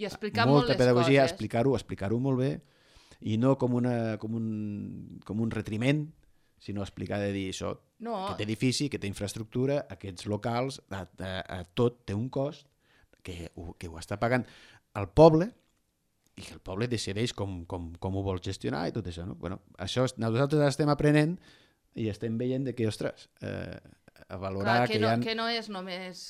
I explicar molta molt les pedagogia, coses. explicar-ho, explicar-ho molt bé, i no com, una, com, un, com un retriment, sinó explicar de dir això, no. Aquest edifici, aquesta infraestructura, aquests locals, a, a, a tot té un cost que ho, que ho està pagant el poble i que el poble decideix com, com, com ho vol gestionar i tot això. No? Bueno, això nosaltres estem aprenent i estem veient de que, ostres, eh, a valorar Clar, que, que no, hi ha... que no és només,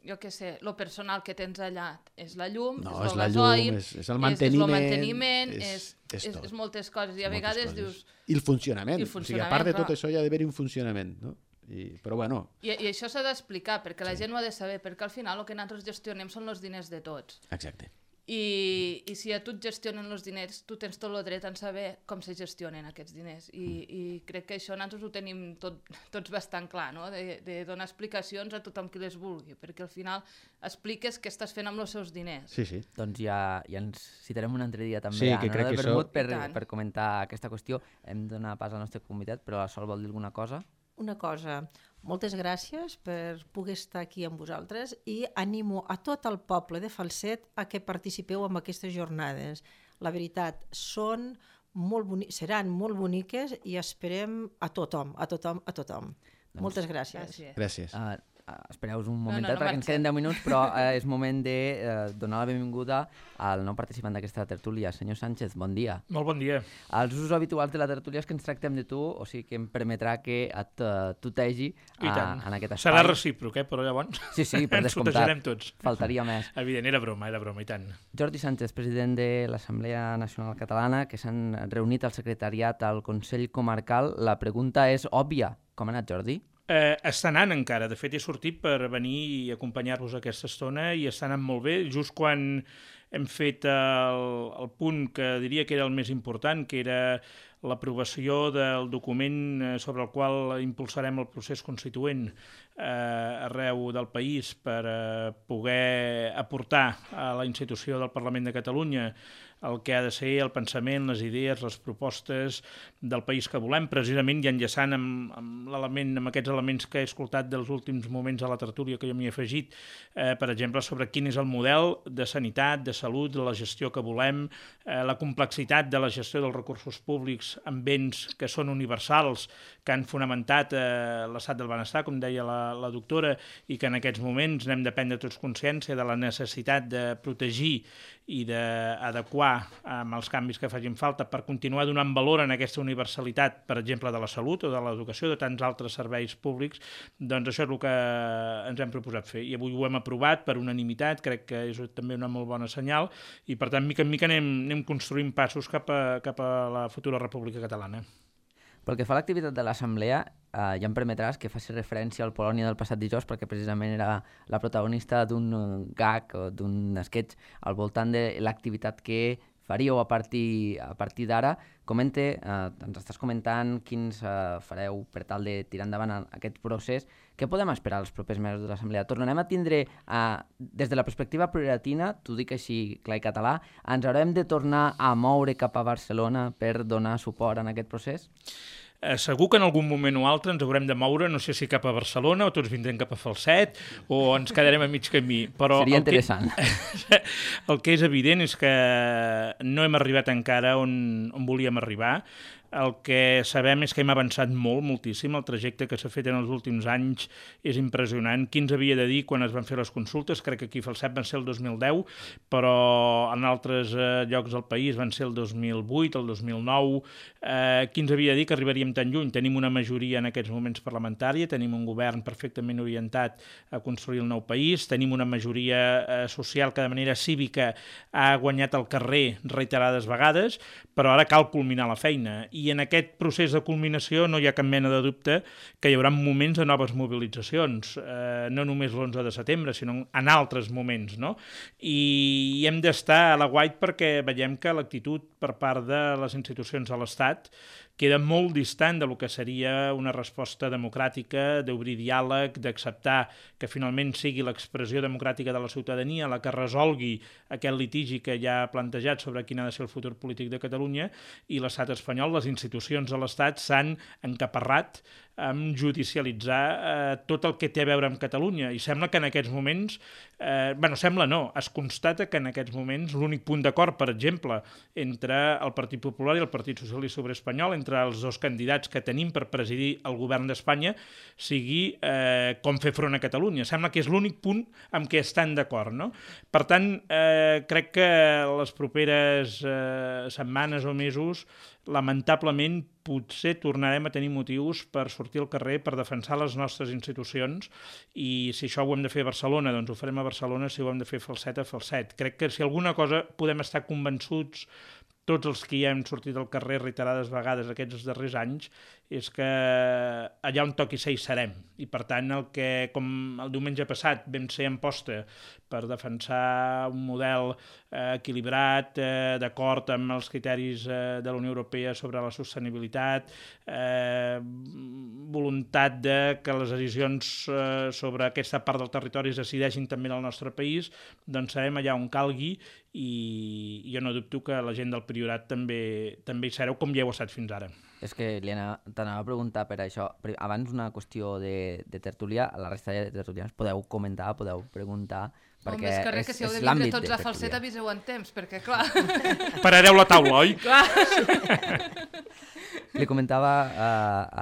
jo què sé, lo personal que tens allà, és la llum, no, és és el la gasoil, llum, és, és el manteniment, és, és, el manteniment és, és, és, és, tot. és moltes coses, i a Moltes vegades coses. dius... I el funcionament, I el o sigui, funcionament, a part de tot clar. això hi ha d'haver un funcionament, no? I, però bueno... I, i això s'ha d'explicar, perquè la Sí. gent ho ha de saber, perquè al final el que nosaltres gestionem són els diners de tots. Exacte. I, i si a tu et gestionen els diners, tu tens tot el dret en saber com se gestionen aquests diners. I, mm. i crec que això nosaltres ho tenim tot, tots bastant clar, no? de, de donar explicacions a tothom qui les vulgui, perquè al final expliques què estàs fent amb els seus diners. Sí, sí. Doncs ja, ja ens citarem un altre dia també Sí, a que l'hora crec del que vermut això- per, I tant. per comentar aquesta qüestió. Hem de donar pas al nostre convidat, però la Sol vol dir alguna cosa? Una cosa, moltes gràcies per poder estar aquí amb vosaltres i animo a tot el poble de Falset a que participeu en aquestes jornades. La veritat, són molt boni- seran molt boniques i esperem a tothom, a tothom, a tothom. Doncs, Moltes gràcies. Gràcies. Gràcies. Uh, espereu un momentet, no, no perquè ens queden deu minuts, però eh, és moment de eh, donar la benvinguda al nou participant d'aquesta tertúlia. Senyor Sánchez, bon dia. Molt bon dia. Els usos habituals de la tertúlia és que ens tractem de tu, o sigui que em permetrà que et uh, tutegi uh, en aquest espai. Serà recíproc, eh? Però llavors sí, sí, per ens tutejarem tots. Faltaria més. Evident, era broma, era broma, i tant. Jordi Sánchez, president de l'Assemblea Nacional Catalana, que s'han reunit al secretariat al Consell Comarcal. La pregunta és òbvia. Com ha anat, Jordi? Eh, està anant encara. De fet, he sortit per venir i acompanyar-vos aquesta estona i està anant molt bé. Just quan hem fet el, el punt que diria que era el més important, que era l'aprovació del document sobre el qual impulsarem el procés constituent eh, arreu del país per eh, poder aportar a la institució del Parlament de Catalunya el que ha de ser el pensament, les idees, les propostes del país que volem, precisament i enllaçant amb, amb, l'element, amb aquests elements que he escoltat dels últims moments de la tertúlia que jo m'hi he afegit, eh, per exemple, sobre quin és el model de sanitat, de salut, de la gestió que volem, eh, la complexitat de la gestió dels recursos públics amb béns que són universals, que han fonamentat eh, l'estat del benestar, com deia la, la doctora, i que en aquests moments n'hem de prendre tots consciència de la necessitat de protegir i d'adequar amb els canvis que facin falta per continuar donant valor en aquesta universalitat, per exemple, de la salut o de l'educació, de tants altres serveis públics, doncs això és el que ens hem proposat fer. I avui ho hem aprovat per unanimitat, crec que és també una molt bona senyal, i per tant, mica en mica anem, anem construint passos cap a, cap a la futura República Catalana. Pel que fa a l'activitat de l'Assemblea, eh, ja em permetràs que faci referència al Polònia del passat dijous, perquè precisament era la protagonista d'un gag o d'un sketch al voltant de l'activitat que faríeu a partir, a partir d'ara. Comente, eh, ens estàs comentant quins eh, fareu per tal de tirar endavant aquest procés. Què podem esperar els propers mesos de l'Assemblea? Tornarem a tindre, eh, des de la perspectiva plurilatina, t'ho dic així clar i català, ens haurem de tornar a moure cap a Barcelona per donar suport en aquest procés? Eh, segur que en algun moment o altre ens haurem de moure, no sé si cap a Barcelona o tots vindrem cap a Falset o ens quedarem a mig camí. Però seria interessant. Que, el que és evident és que no hem arribat encara on, on volíem arribar. El que sabem és que hem avançat molt, moltíssim. El trajecte que s'ha fet en els últims anys és impressionant. Qui ens havia de dir quan es van fer les consultes? Crec que aquí a Falset van ser el dos mil deu, però en altres eh, llocs del país van ser el dos mil vuit, el dos mil nou. Eh, qui ens havia de dir que arribaríem tan lluny? Tenim una majoria en aquests moments parlamentària, tenim un govern perfectament orientat a construir el nou país, tenim una majoria eh, social que de manera cívica ha guanyat al carrer reiterades vegades, però ara cal culminar la feina. I en aquest procés de culminació no hi ha cap mena de dubte que hi haurà moments de noves mobilitzacions, eh, no només l'onze de setembre, sinó en altres moments, no? I hem d'estar a l'aguait perquè veiem que l'actitud per part de les institucions de l'Estat queda molt distant del que seria una resposta democràtica, d'obrir diàleg, d'acceptar que finalment sigui l'expressió democràtica de la ciutadania la que resolgui aquest litigi que ja ha plantejat sobre quin ha de ser el futur polític de Catalunya, i l'estat espanyol, les institucions de l'estat s'han encaparrat amb judicialitzar eh, tot el que té a veure amb Catalunya. I sembla que en aquests moments, eh, bueno, sembla no, es constata que en aquests moments l'únic punt d'acord, per exemple, entre el Partit Popular i el Partit Socialista Obrer Espanyol, entre els dos candidats que tenim per presidir el govern d'Espanya, sigui eh, com fer front a Catalunya. Sembla que és l'únic punt amb què estan d'acord, no? Per tant, eh, crec que les properes eh, setmanes o mesos, lamentablement, potser tornarem a tenir motius per sortir al carrer, per defensar les nostres institucions, i si això ho hem de fer a Barcelona, doncs ho farem a Barcelona, si ho hem de fer a Falset, a Falset. Crec que si alguna cosa podem estar convençuts tots els que ja hem sortit al carrer reiterades vegades aquests darrers anys, és que allà on toqui ser hi serem. I per tant, el que, com el diumenge passat vam ser en posta per defensar un model eh, equilibrat, eh, d'acord amb els criteris eh, de la Unió Europea sobre la sostenibilitat, eh, voluntat de que les decisions eh, sobre aquesta part del territori es decideixin també en el nostre país, doncs serem allà on calgui, i jo no dubto que la gent del Priorat també, també hi sereu, com ja heu estat fins ara. És que li t'anava a preguntar per això. Abans una qüestió de, de tertúlia, a la resta de tertulians podeu comentar, podeu preguntar, perquè Home, és que res, que si heu de vindre tots a Falset aviseu en temps, perquè clar... Parareu la taula, oi? Clar. li comentava a,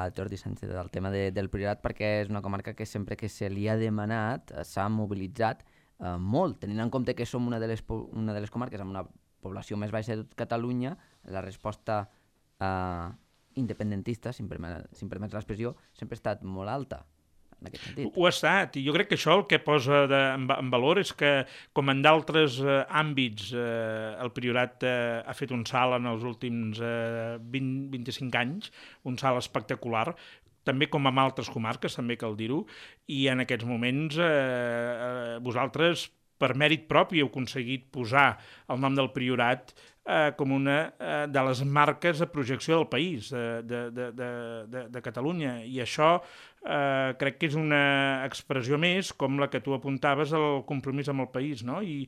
a Jordi Sánchez el tema de, del Priorat perquè és una comarca que sempre que se li ha demanat s'ha mobilitzat eh, molt, tenint en compte que som una de les, una de les comarques amb una població més baixa de tot Catalunya, la resposta eh, independentista, si em permet, si em permets l'expressió, sempre ha estat molt alta. En aquest sentit. Ho ha estat, i jo crec que això el que posa de, en, en valor és que, com en d'altres eh, àmbits, eh, el Priorat eh, ha fet un salt en els últims eh, vint a vint-i-cinc anys, un salt espectacular, també com en altres comarques, també cal dir-ho, i en aquests moments eh, eh, vosaltres, per mèrit propi, heu aconseguit posar el nom del Priorat eh, com una eh, de les marques de projecció del país, de, de, de, de, de Catalunya, i això eh, crec que és una expressió més com la que tu apuntaves al compromís amb el país, no? I,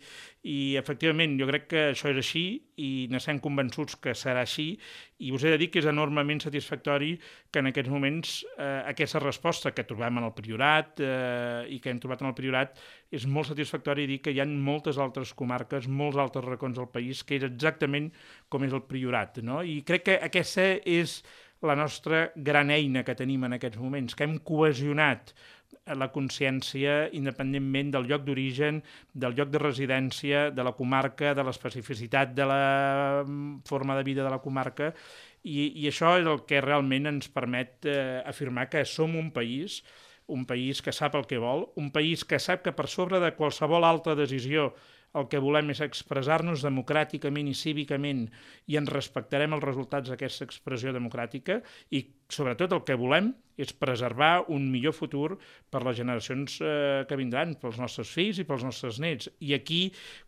i efectivament jo crec que això és així i n'estem convençuts que serà així, i us he de dir que és enormement satisfactori que en aquests moments eh, aquesta resposta que trobem en el Priorat eh, i que hem trobat en el Priorat és molt satisfactori dir que hi ha moltes altres comarques, molts altres racons del país que és exactament com és el Priorat, no? I crec que aquesta és la nostra gran eina que tenim en aquests moments, que hem cohesionat la consciència independentment del lloc d'origen, del lloc de residència, de la comarca, de l'especificitat de la forma de vida de la comarca, i, i això és el que realment ens permet eh, afirmar que som un país, un país que sap el que vol, un país que sap que per sobre de qualsevol altra decisió el que volem és expressar-nos democràticament i cívicament i ens respectarem els resultats d'aquesta expressió democràtica i, sobretot, el que volem és preservar un millor futur per les generacions eh, que vindran, pels nostres fills i pels nostres nets. I aquí,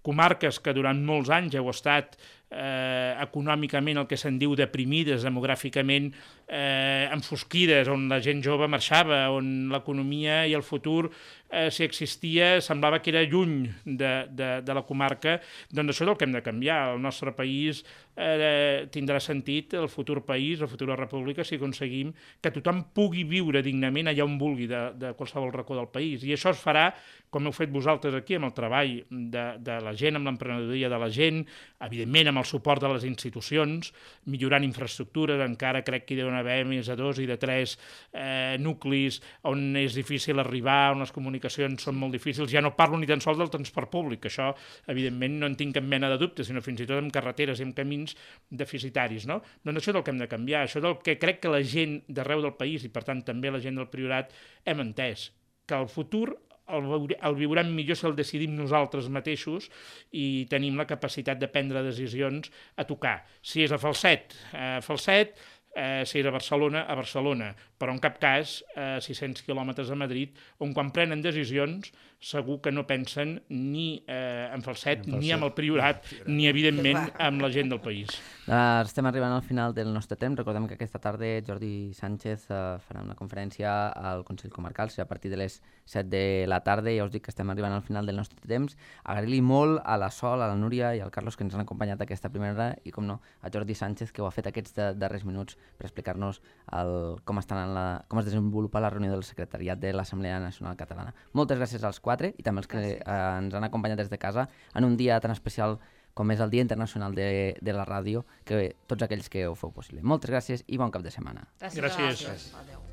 comarques que durant molts anys heu estat eh, econòmicament el que se'n diu deprimides, demogràficament eh, enfosquides, on la gent jove marxava, on l'economia i el futur, eh, si existia, semblava que era lluny de, de, de la comarca, doncs això és el que hem de canviar. El nostre país eh, tindrà sentit, el futur país, la futura república, si aconseguim que tothom pugui viure dignament allà on vulgui de, de qualsevol racó del país. I això es farà, com heu fet vosaltres aquí, amb el treball de, de la gent, amb l'emprenedoria de la gent, evidentment amb el suport de les institucions, millorant infraestructures, encara crec que hi deuen haver més de dos i de tres eh, nuclis on és difícil arribar, on les comunicacions són molt difícils. Ja no parlo ni tan sols del transport públic, això evidentment no en tinc cap mena de dubte, sinó fins i tot amb carreteres i amb camins deficitaris, no? Doncs això és el que hem de canviar, això és el que crec que la gent d'arreu del país, i per tant també la gent del Priorat, hem entès, que el futur el, el viurem millor si el decidim nosaltres mateixos i tenim la capacitat de prendre decisions a tocar. Si és a Falset, a Falset, eh, si és a Barcelona, a Barcelona, però en cap cas a sis-cents quilòmetres a Madrid, on quan prenen decisions segur que no pensen ni eh, en Falset, ni amb el Priorat, ni evidentment amb la gent del país. Uh, estem arribant al final del nostre temps. Recordem que aquesta tarda Jordi Sánchez uh, farà una conferència al Consell Comarcal, serà a partir de les set de la tarda. Ja us dic que estem arribant al final del nostre temps. Agrair-li molt a la Sol, a la Núria i al Carlos que ens han acompanyat aquesta primera hora i, com no, a Jordi Sánchez, que ho ha fet aquests de, darrers minuts per explicar-nos el, com, estan en la, com es desenvolupa la reunió del secretariat de l'Assemblea Nacional Catalana. Moltes gràcies als quatre i també als que eh, ens han acompanyat des de casa en un dia tan especial com és el Dia Internacional de, de la Ràdio, que tots aquells que ho feu possible. Moltes gràcies i bon cap de setmana. Gràcies. Gràcies. Adéu.